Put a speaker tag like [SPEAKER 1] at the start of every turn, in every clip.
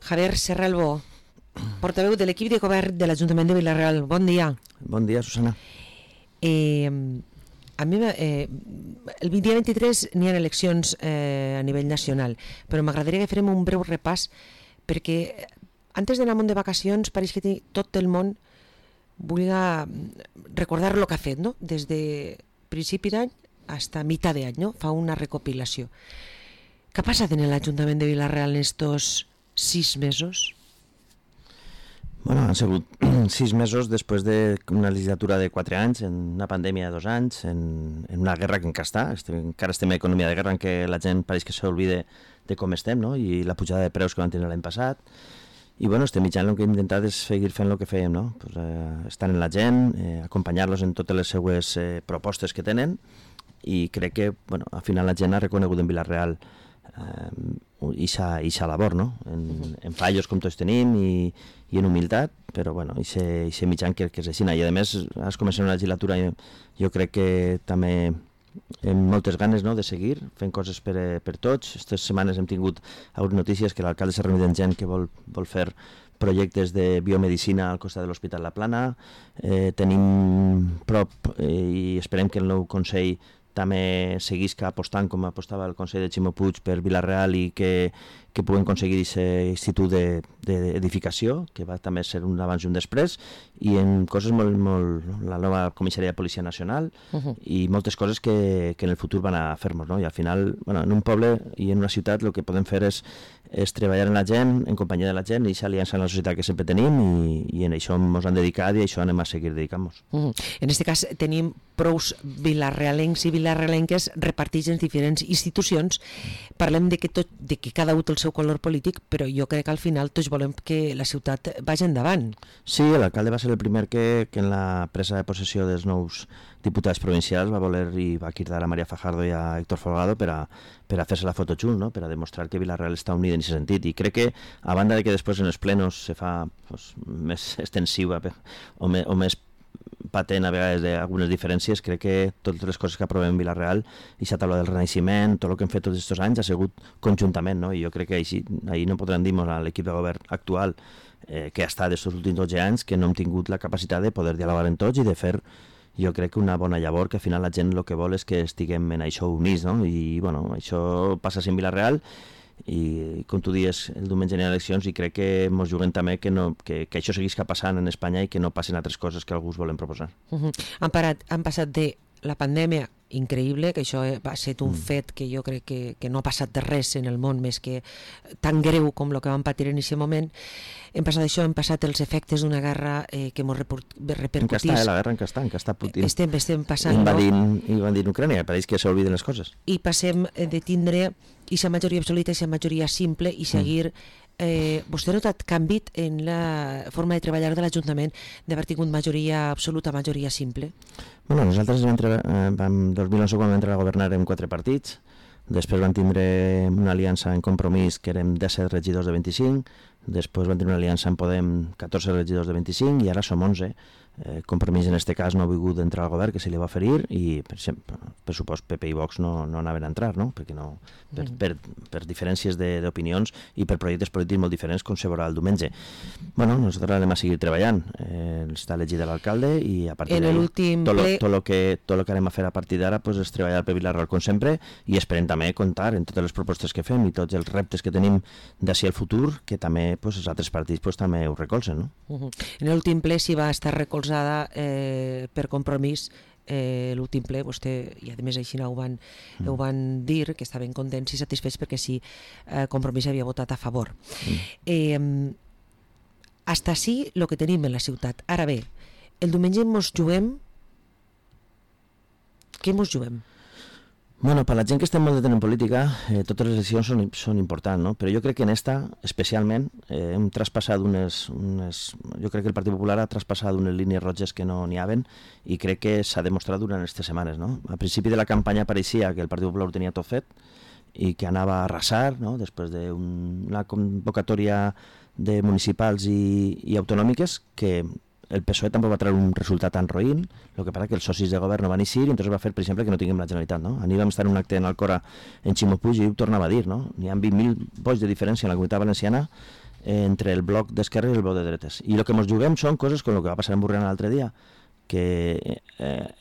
[SPEAKER 1] Javier Serralbo, portaveu de l'equip de govern de l'Ajuntament de Vila-real. Bon dia.
[SPEAKER 2] Bon dia, Susana.
[SPEAKER 1] A mi, el dia 23 n'hi ha eleccions a nivell nacional, però m'agradaria que farem un breu repàs, perquè antes d'anar amunt de vacacions pareix que tot el món vulgui recordar el que ha fet, no? Des de principi d'any fins a meitat d'any, no? Fa una recopilació. Què ha passat en l'Ajuntament de Vila-real en estos 6 mesos?
[SPEAKER 2] Bueno, han sigut 6 mesos després d'una legislatura de 4 anys, en una pandèmia de 2 anys, en una guerra que encara estem en economia de guerra, en què la gent pareix que s'oblida de com estem, no? I la pujada de preus que van tenir l'any passat. I bueno, estem mitjant el que hem intentat és seguir fent el que fèiem, no? Pues, estar en la gent, acompanyar-los en totes les seues propostes que tenen, i crec que bueno, al final la gent ha reconegut en Vila-real ixa labor, no? En fallos com tots tenim i en humilitat, però bueno, ixe mitjan que és així. I a més, has començat una legislatura, jo crec que també amb moltes ganes, no?, de seguir fent coses per tots. Aquestes setmanes hem tingut algunes notícies que l'alcalde s'ha reunit amb gent que vol fer projectes de biomedicina al costat de l'Hospital La Plana. Tenim prop i esperem que el nou Consell també seguisca apostant com apostava el Consell de Ximo Puig per Vila-real i que puguem aconseguir aquest institut d'edificació, que va també ser un abans i un després, i en coses molt la nova comissaria de Policia Nacional i moltes coses que en el futur van a fer-nos, no? I al final, bueno, en un poble i en una ciutat el que podem fer és treballar en la gent, en companyia de la gent, i aquesta aliança en la societat que sempre tenim, i en això ens han dedicat i això anem a seguir dedicant-nos.
[SPEAKER 1] En aquest cas tenim prous vilarrealencs i vilarrealenques repartits en diferents institucions. Parlem de que cada un té el seu color polític, però jo crec que al final tots volem que la ciutat vagi endavant.
[SPEAKER 2] Sí, l'alcalde va ser el primer que en la presa de possessió dels nous diputats provincials va voler i va cridar a María Fajardo i a Héctor Folgado per a fer-se la foto xunt, no? Per a demostrar que Vila-real està unida en aquest sentit. I crec que, a banda de que després en els plenos se fa més extensiva o més patent a vegades d'algunes diferències, crec que totes les coses que aprovem en Vila-real i la taula del Renaixement, tot el que hem fet tots aquests anys ha sigut conjuntament, no? I jo crec que ahir no podran dir-nos a l'equip de govern actual que ha estat aquests últims 12 anys que no hem tingut la capacitat de poder dialogar en tots i de fer, jo crec que una bona llavor, que al final la gent el que vol és que estiguem en això units, no? I bueno, això passa en Vila-real, i com tu dius, el diumenge hi ha eleccions i crec que ens juguem també que això seguisca passant en Espanya i que no passin altres coses que alguns volen proposar.
[SPEAKER 1] Han passat de la pandèmia increïble, que això va ser un fet que jo crec que no ha passat de res en el món més que tan greu com el que vam patir en aquest moment. Hem passat això, hem passat els efectes d'una guerra que ens repercutís.
[SPEAKER 2] La guerra en què està Putin
[SPEAKER 1] estem passant
[SPEAKER 2] invadint Ucrània, pareix que s'obliden les coses.
[SPEAKER 1] I passem de tindre aquesta majoria absoluta i aquesta majoria simple i seguir. Vostè ha notat canvi en la forma de treballar de l'Ajuntament d'haver tingut majoria absoluta, majoria simple?
[SPEAKER 2] Bueno, nosaltres en 2011 quan vam entrar a governar amb 4 partits, després vam tindre una aliança en Compromís que érem 17 regidors de 25, després vam tenir una aliança en Podem 14 regidors de 25 i ara som 11. Compromís en aquest cas no ha volgut entrar al govern, que se li va oferir, i per supost PP i Vox no anaven a entrar, no? Perquè no, per diferències d'opinions i per projectes polítics molt diferents, com se veurà el diumenge. Bueno, nosaltres anem a seguir treballant. Està elegit l'alcalde i a partir d'ara tot el que anem a fer a partir d'ara és treballar per Vila-real com sempre, i esperem també comptar en totes les propostes que fem i tots els reptes que tenim d'ací al futur, que també els altres partits també ho recolzen, no?
[SPEAKER 1] En l'últim ple s'hi va estar recolzada per Compromís. L'últim ple, vostè, i a més així ho van dir, que estaven contents i satisfets perquè sí, Compromís havia votat a favor. Hasta així el que tenim en la ciutat. Ara bé, el diumenge ens juguem... Què ens juguem?
[SPEAKER 2] Bueno, per la gent que estem molt de temps en política, totes les eleccions són importants, no? Però jo crec que en esta, especialment, hem traspassat jo crec que el Partit Popular ha traspassat unes línies roges que no n'hi haven, i crec que s'ha demostrat durant aquestes setmanes, no? A principi de la campanya pareixia que el Partit Popular ho tenia tot fet i que anava a arrasar, no? Després d'una convocatòria de municipals i autonòmiques que el PSOE tampoc va treure un resultat tan roïn, el que passa que els socis de govern no van eixir i entonces va fer, per exemple, que no tinguem la Generalitat, no? Ahir vam estar en un acte en Alcora en Ximo Puig i ho tornava a dir, no? N'hi ha 20.000 vots de diferència en la Comunitat Valenciana entre el bloc d'esquerra i el bloc de dretes. I el que ens juguem són coses com el que va passar en Borriana l'altre dia, que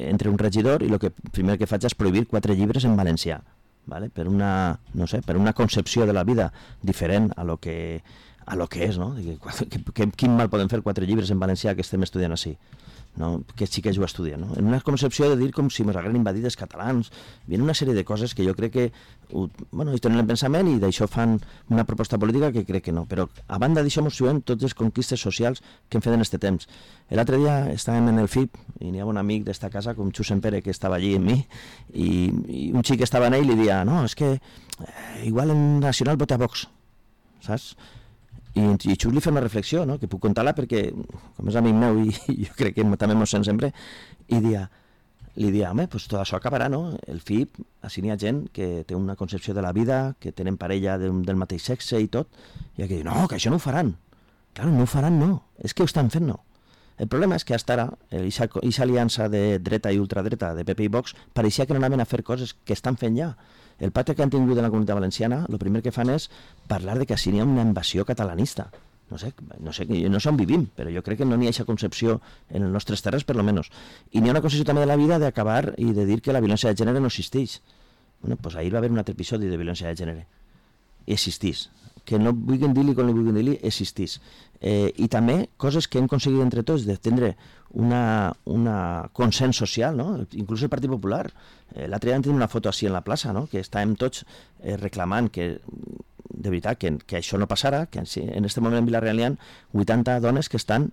[SPEAKER 2] entre un regidor i el que primer que faig és prohibir 4 llibres en valencià, ¿vale? Per una, no sé, per una concepció de la vida diferent a lo que és, no? Quin mal poden fer 4 llibres en valencià que estem estudiant així, no? Que sí que ho estudien, no? En una concepció de dir com si ens hagueren invadit els catalans, viene una sèrie de coses que jo crec que ells tenen el pensament i d'això fan una proposta política que crec que no, però a banda d'això ens juguem totes les conquistes socials que hem fet en aquest temps. L'altre dia estàvem en el FIP i n'hi ha un amic d'esta casa com Xusen Pere que estava allí amb mi i un xic que estava en ell li dia, no, és que igual en Nacional vota Vox, saps? I Xus li fa una reflexió, no? Que puc contar-la perquè, com és amic meu i jo crec que també mos sent sempre, i li dia, home, pues tot això acabarà, no? El FIP, així n'hi ha gent que té una concepció de la vida, que tenen parella del mateix sexe i tot, i que diu, no, que això no ho faran. Clar, no ho faran, no. És que ho estan fent, no. El problema és que fins ara, aquesta aliança de dreta i ultradreta, de PP i Vox, pareixia que no anaven a fer coses que estan fent ja. El pacte que han tingut en la comunitat valenciana, el primer que fan és parlar de que així n'hi ha una invasió catalanista. No sé on vivim, però jo crec que no n'hi ha aquesta concepció en les nostres terres, per lo menos. I n'hi ha una concepció també de la vida d'acabar i de dir que la violència de gènere no existeix. Bueno, pues ahir va haver un altre episodi de violència de gènere. Existís. Que no vulguin dir-li com li vulguin dir-li, existís. I també coses que hem aconseguit entre tots de tindre una consens social, no? Inclús el Partit Popular. L'altre dia vam tenir una foto així en la plaça, no? Que estàvem tots reclamant que, de veritat, que això no passara, que en aquest moment en Vila-real hi ha 80 dones que estan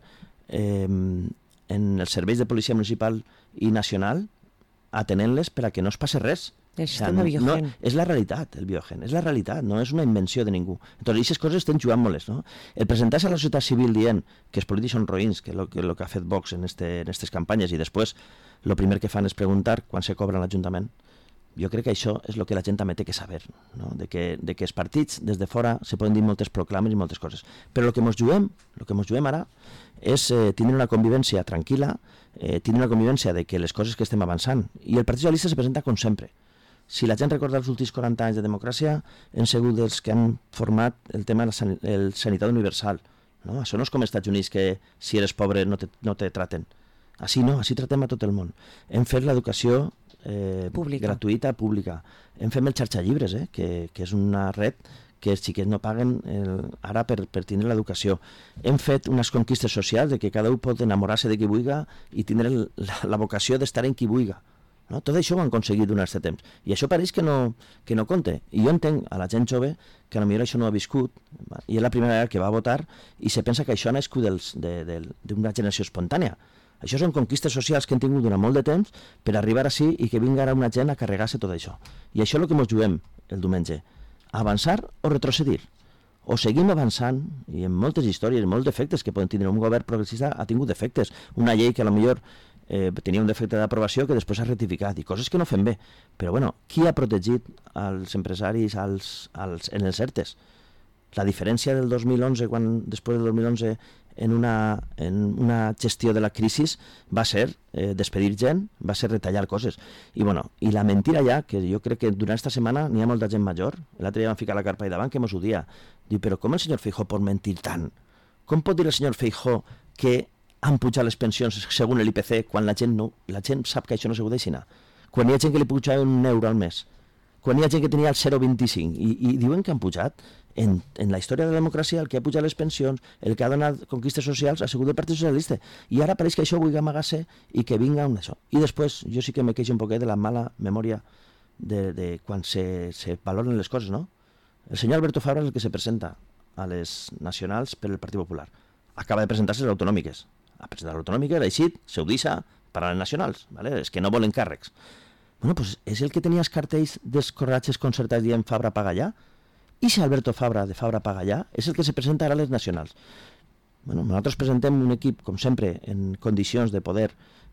[SPEAKER 2] en els serveis de policia municipal i nacional atenent-les per a que no es passi res.
[SPEAKER 1] El sistema Biogen.
[SPEAKER 2] No, és la realitat, el Biogen, és la realitat, no és una invenció de ningú. Entonces, aquestes coses estan jugant moltes, no? El presentar-se a la societat civil dient que els polítics són roïns, que és el que ha fet Vox en aquestes campanyes, i després el primer que fan és preguntar quan se cobra l'Ajuntament. Jo crec que això és el que la gent també té que saber, no? De que els partits des de fora se poden dir moltes proclames i moltes coses. Però el que ens juguem ara és tindre una convivència tranquil·la, tindre una convivència de que les coses que estem avançant. I el Partit Socialista se presenta com sempre. Si la gent recorda els últims 40 anys de democràcia, hem sigut els que han format el tema de la sanitat universal. No? Això no és com als Estats Units, que si eres pobre no te traten. Així no, així tratem a tot el món. Hem fet l'educació gratuïta, pública. Hem fet el xarxallibres, que és una red que els xiquets no paguen ara per tindre l'educació. Hem fet unes conquistes socials de que cada un pot enamorar-se de qui vulgui i tindre la vocació d'estar en qui vulgui. No? Tot això ho han aconseguit durant aquest temps. I això pareix que no compte. I jo entenc a la gent jove que potser això no ha viscut, i és la primera vegada que va votar, i se pensa que això ha nascut d'una generació espontània. Això són conquistes socials que hem tingut durant molt de temps per arribar així i que vingui ara una gent a carregar-se tot això. I això és el que ens juguem el diumenge. Avançar o retrocedir. O seguim avançant, i en moltes històries, molts defectes que poden tindre un govern progressista ha tingut defectes. Una llei que potser tenia un defecte d'aprovació que després s'ha rectificat, i coses que no fem bé. Però bueno, qui ha protegit els empresaris en els ERTEs? La diferència del 2011, quan després del 2011 en una gestió de la crisi va ser despedir gent, va ser retallar coses. I la mentira ja, que jo crec que durant aquesta setmana n'hi ha molta gent major, l'altre dia vam ficar la carpa i davant que mos ho dia. Diu, però com el senyor Feijóo pot mentir tant? Com pot dir el senyor Feijóo que han pujat les pensions segons l'IPC quan la gent sap que això no se ho deixi anar? Quan hi ha gent que li pujava €1 al mes, quan hi ha gent que tenia el 0,25 i diuen que han pujat. En la història de la democràcia el que ha pujat les pensions, el que ha donat conquistes socials ha sigut el Partit Socialista, i ara pareix que això vulgui amagar-se i que vinga un això. I després jo sí que me queixo un poquet de la mala memòria de quan se valoren les coses, no? El senyor Alberto Fabra és el que se presenta a les nacionals per el Partit Popular. Acaba de presentar-se a les autonòmiques. Ha presentat l'autonòmica, l'ha eixit, se ho deixa per a les nacionals, ¿vale? És que no volen càrrecs. Bueno, pues és el que tenia els cartells dels corratges concertats dient Fabra paga allà. I si Alberto Fabra, de Fabra paga allà, és el que se presenta ara a les nacionals. Nosaltres presentem un equip, com sempre, en condicions de poder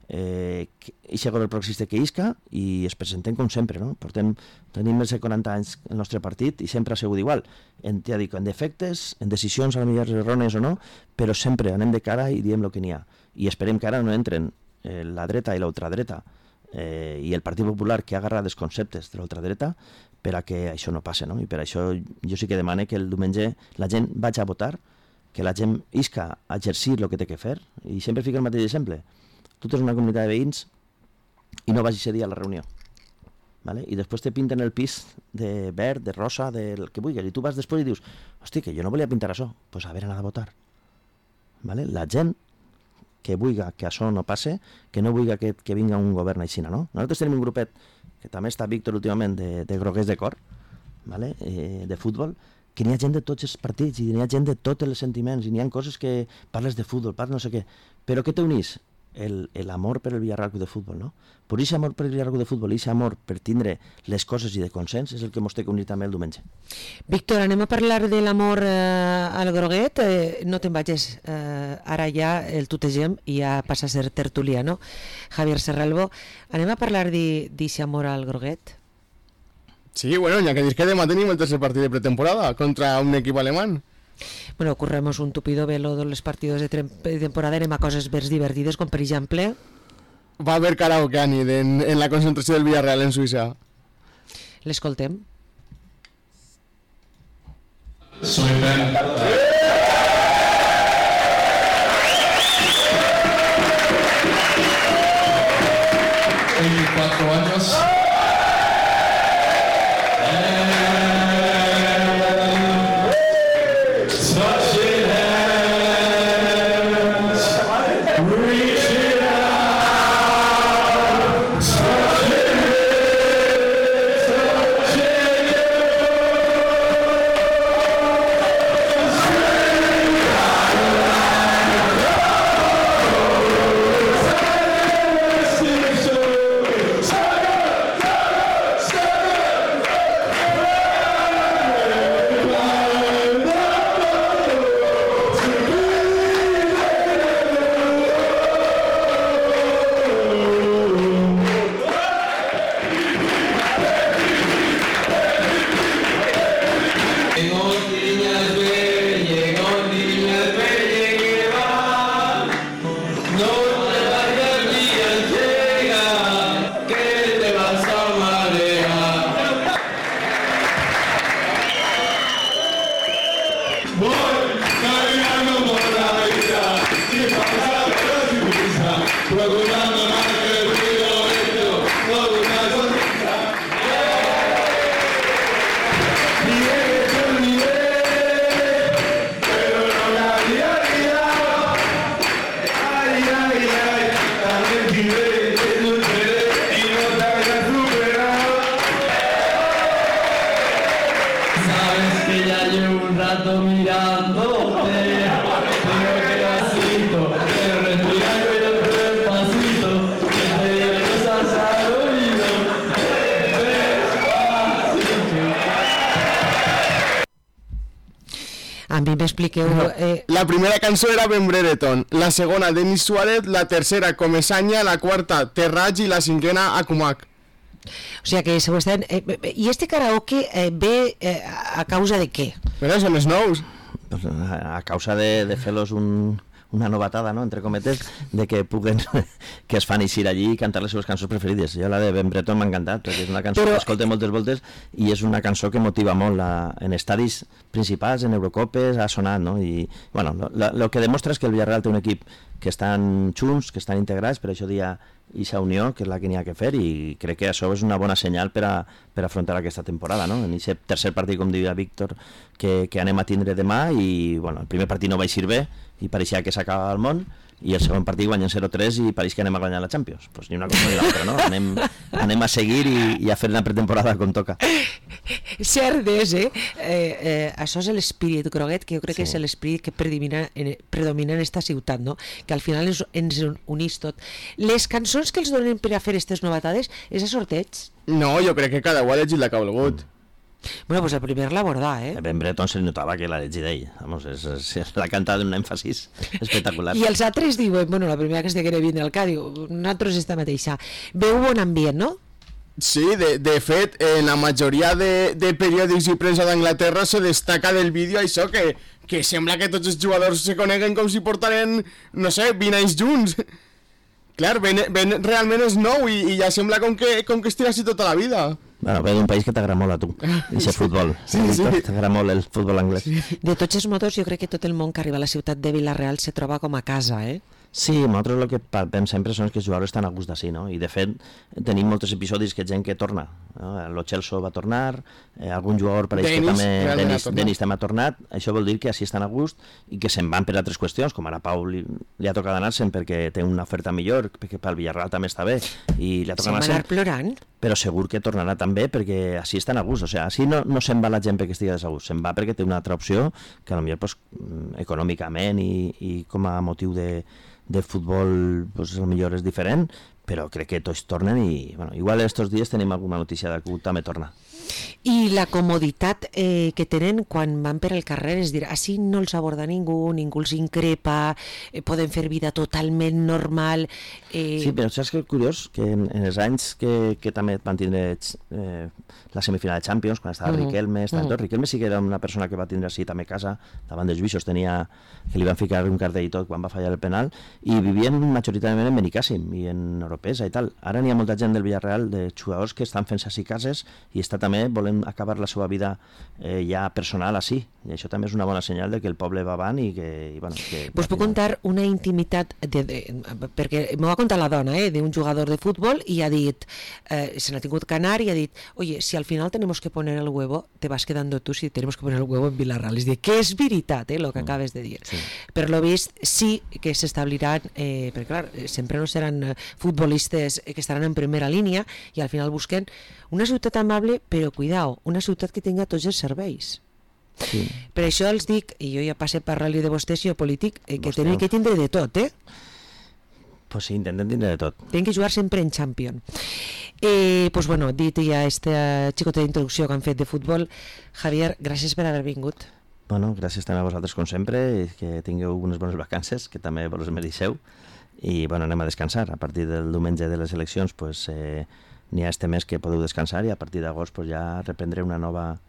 [SPEAKER 2] eixe govern progressista que isca, i es presentem com sempre, no? Tenim més de 40 anys el nostre partit i sempre ha sigut igual. Ja dic, en defectes, en decisions a millor errònies o no, però sempre anem de cara i diem el que n'hi ha. I esperem que ara no entren la dreta i l'ultradreta i el Partit Popular, que ha agarrat els conceptes de l'ultradreta, per a que això no passi, no? I per això jo sí que demane que el diumenge la gent vagi a votar que la gent isca a exercir el que té que fer, i sempre fica el mateix exemple. Tu tens una comunitat de veïns i no vagis a dir a la reunió. ¿Vale? I després te pinten el pis de verd, de rosa, del que vulguis, i tu vas després i dius, hosti, que jo no volia pintar això, doncs pues haver anat a votar. ¿Vale? La gent que vulgui que això no passe, que no vulgui que vinga un govern així, no? Nosaltres tenim un grupet, que també està Víctor últimament, de groguers de cor, ¿vale? De futbol, que n'hi ha gent de tots els partits, i n'hi ha gent de tots els sentiments, i n'hi ha coses que parles de futbol, parles no sé què, però què t'unís? L'amor per el Villarreal Club de Futbol, no? Per aquest amor per el Villarreal Club de Futbol i aquest amor per tindre les coses i de consens és el que ens té que unir també el diumenge.
[SPEAKER 1] Víctor, anem a parlar de l'amor al groguet. No te'n vagis, ara ja el tutegem i ja passa a ser tertulià, no? Javier Serralbo, anem a parlar d'aquest amor al groguet?
[SPEAKER 3] Sí, bueno, ya que dius que demà tenim el tercer partit de pretemporada contra un equip alemán.
[SPEAKER 1] Bueno, corremos un tupido velo de los partidos de temporada, anem a coses més divertides, com per exemple...
[SPEAKER 3] Va haver karaoke a nit en la concentració del Villarreal en Suïssa.
[SPEAKER 1] L'escoltem.
[SPEAKER 4] Soy Ben. 24 años.
[SPEAKER 1] A mi m'expliqueu...
[SPEAKER 3] La primera cançó era Ben Brereton, la segona Denis Suárez, la tercera Comesanya, la quarta Terraig i la cinquena Akumak.
[SPEAKER 1] O sigui que se ho estan... I este karaoke ve a causa de què?
[SPEAKER 3] Però són els nous.
[SPEAKER 2] Pues a causa de fer-los una novatada, no?, entre cometes, de que puguen, que es fan eixir allí i cantar les seves cançons preferides. Jo la de Ben Breton m'ha encantat, perquè és una cançó que escolta moltes voltes i és una cançó que motiva molt en estadis principals, en Eurocopes, ha sonat, no? I, bueno, lo que demostra és que el Villarreal té un equip que estan junts, que estan integrats, per això dia ixa unió, que és la que n'hi ha que fer, i crec que això és una bona senyal per afrontar aquesta temporada, no? En aquest tercer partit, com diria Víctor, que anem a tindre demà, i bueno, el primer partit no va eixir bé, i pareixia que s'acaba el món, i el segon partit guanyen 0-3 i pareix que anem a guanyar la Champions. Pues ni una cosa ni l'altra, no? Anem a seguir i a fer una pretemporada com toca.
[SPEAKER 1] Cert és, això és l'espírit groguet, que jo crec que és l'espírit que predomina en esta ciutat, no? Que al final ens unís tot. Les cançons que els donen per a fer aquestes novatades és a sorteig?
[SPEAKER 3] No, jo crec que cada un ha llegit la que ha volgut.
[SPEAKER 1] Bueno, pues el primer l'abordar,
[SPEAKER 2] Ben Breton se li notava que l'ha llegit ell. Vamos, l'ha cantat amb un èmfasis espectacular.
[SPEAKER 1] I els altres diuen, bueno, la primera que es deia que viene al Cádiz, nosaltres esta mateixa. Veu bon ambient, no?
[SPEAKER 3] Sí, de fet, en la majoria de periòdics i premsa d'Anglaterra se destaca del vídeo això, que sembla que tots els jugadors se coneguen com si portaren, no sé, 20 anys junts. Clar, ben realment és nou i ja sembla com que estirassi tota la vida.
[SPEAKER 2] Bueno, ve d'un país que t'agrada molt a tu, i ser futbol.
[SPEAKER 3] Sí.
[SPEAKER 2] T'agrada molt el futbol anglès.
[SPEAKER 1] De tots els motos, jo crec que tot el món que arriba a la ciutat de Vila-real se troba com a casa, eh?
[SPEAKER 2] Sí, nosaltres el que palpem sempre són que els jugadors estan a gust d'ací, no? I de fet tenim molts episodis que gent que torna, no? Lo Celso va tornar, algun jugador pareix que també Denis també ha tornat. Això vol dir que així estan a gust i que se'n van per altres qüestions, com ara Pau li ha tocat anar-se'n perquè té una oferta millor, perquè pel Villarreal també està bé i li ha tocat anar-se'n.
[SPEAKER 1] Se'n va anar plorant.
[SPEAKER 2] Però segur que tornarà també perquè així estan a gust, o sigui, així no se'n va la gent perquè estigui desagust, se'n va perquè té una altra opció que potser pues, econòmicament i com a motiu de futbol pues, potser és diferent, però crec que tots tornen i bueno, igual estos dies tenim alguna notícia de que també torna.
[SPEAKER 1] I la comoditat que tenen quan van per al carrer, és dir, així no els aborda ningú els increpa, poden fer vida totalment normal.
[SPEAKER 2] Sí, però saps que és curiós que en els anys que també van tindre la semifinal de Champions, quan estava Riquelme, Riquelme sí que era una persona que va tindre així també casa, davant dels juixos, que li van ficar un cartell i tot quan va fallar el penal, i vivien majoritàriament en Benicàssim i en Oropesa i tal. Ara n'hi ha molta gent del Villarreal, de jugadors que estan fent-se així cases i està també volem acabar la seva vida ja personal així, i això també és una bona senyal de que el poble va avant i que...
[SPEAKER 1] Pues puc contar una intimitat perquè m'ho va contar la dona d'un jugador de futbol i ha dit, se n'ha tingut que anar i ha dit, oye, si al final tenemos que poner el huevo, te vas quedando tú si tenemos que poner el huevo en Villarreal. És dir, que és veritat lo que acabes de dir.
[SPEAKER 2] Sí.
[SPEAKER 1] Per lo vist sí que s'establiran, perquè clar, sempre no seran futbolistes que estaran en primera línia i al final busquen una ciutat amable, però cuidao, una ciutat que tinga tots els serveis.
[SPEAKER 2] Sí.
[SPEAKER 1] Per això els dic, i jo ja passe per ràdio de vostès i jo polític, que tenen que tindre de tot,
[SPEAKER 2] Pues sí, intenten tindre de tot.
[SPEAKER 1] Tenen que jugar sempre en Champions. Pues bueno, dit ja aquesta xicota d'introducció que han fet de futbol, Javier, gràcies per haver vingut.
[SPEAKER 2] Bueno, gràcies també a vosaltres com sempre, i que tingueu unes bones vacances, que també vos mereixeu, i bueno, anem a descansar. A partir del diumenge de les eleccions pues, n'hi ha este mes que podeu descansar i a partir d'agost pues, ja reprendré una nova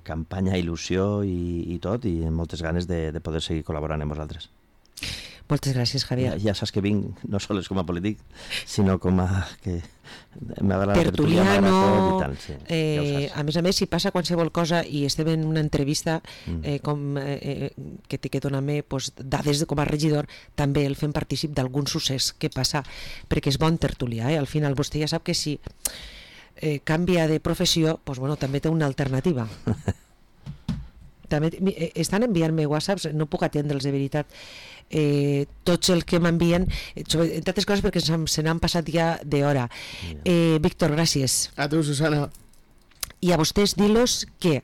[SPEAKER 2] campanya, il·lusió i tot, i amb moltes ganes de poder seguir col·laborant amb vosaltres.
[SPEAKER 1] Moltes gràcies, Javier.
[SPEAKER 2] Ja saps que vinc no sols com a polític, sinó com a... que m'agrada la
[SPEAKER 1] tertuliano,
[SPEAKER 2] i tal, sí, ja
[SPEAKER 1] a més, si passa qualsevol cosa i estem en una entrevista que té que donar-me pues, dades com a regidor, també el fem partícip d'algun succés que passa, perquè és bon tertulià, al final vostè ja sap que si canvia de professió, pues, bueno, també té una alternativa. També estan enviant-me whatsapps, no puc atendre'ls de veritat, tots els que m'envien, entre altres coses perquè se n'han passat ja d'hora. Víctor, gràcies.
[SPEAKER 3] A tu, Susana. I
[SPEAKER 1] a vostès dir-los que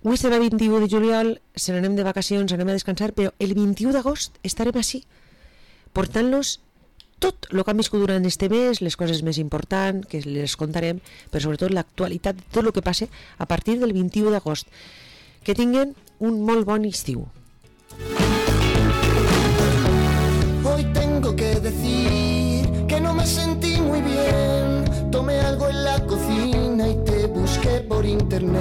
[SPEAKER 1] avui serà 21 de juliol, se n'anem de vacacions, anem a descansar, però el 21 d'agost estarem així, portant-los tot el que han viscut durant este mes, les coses més importants, que les contarem, però sobretot l'actualitat de tot el que passa a partir del 21 d'agost. Que tinguen un molt bon estiu. Hoy tengo que decir que no me sentí muy bien. Tomé algo en la cocina y te busqué por internet.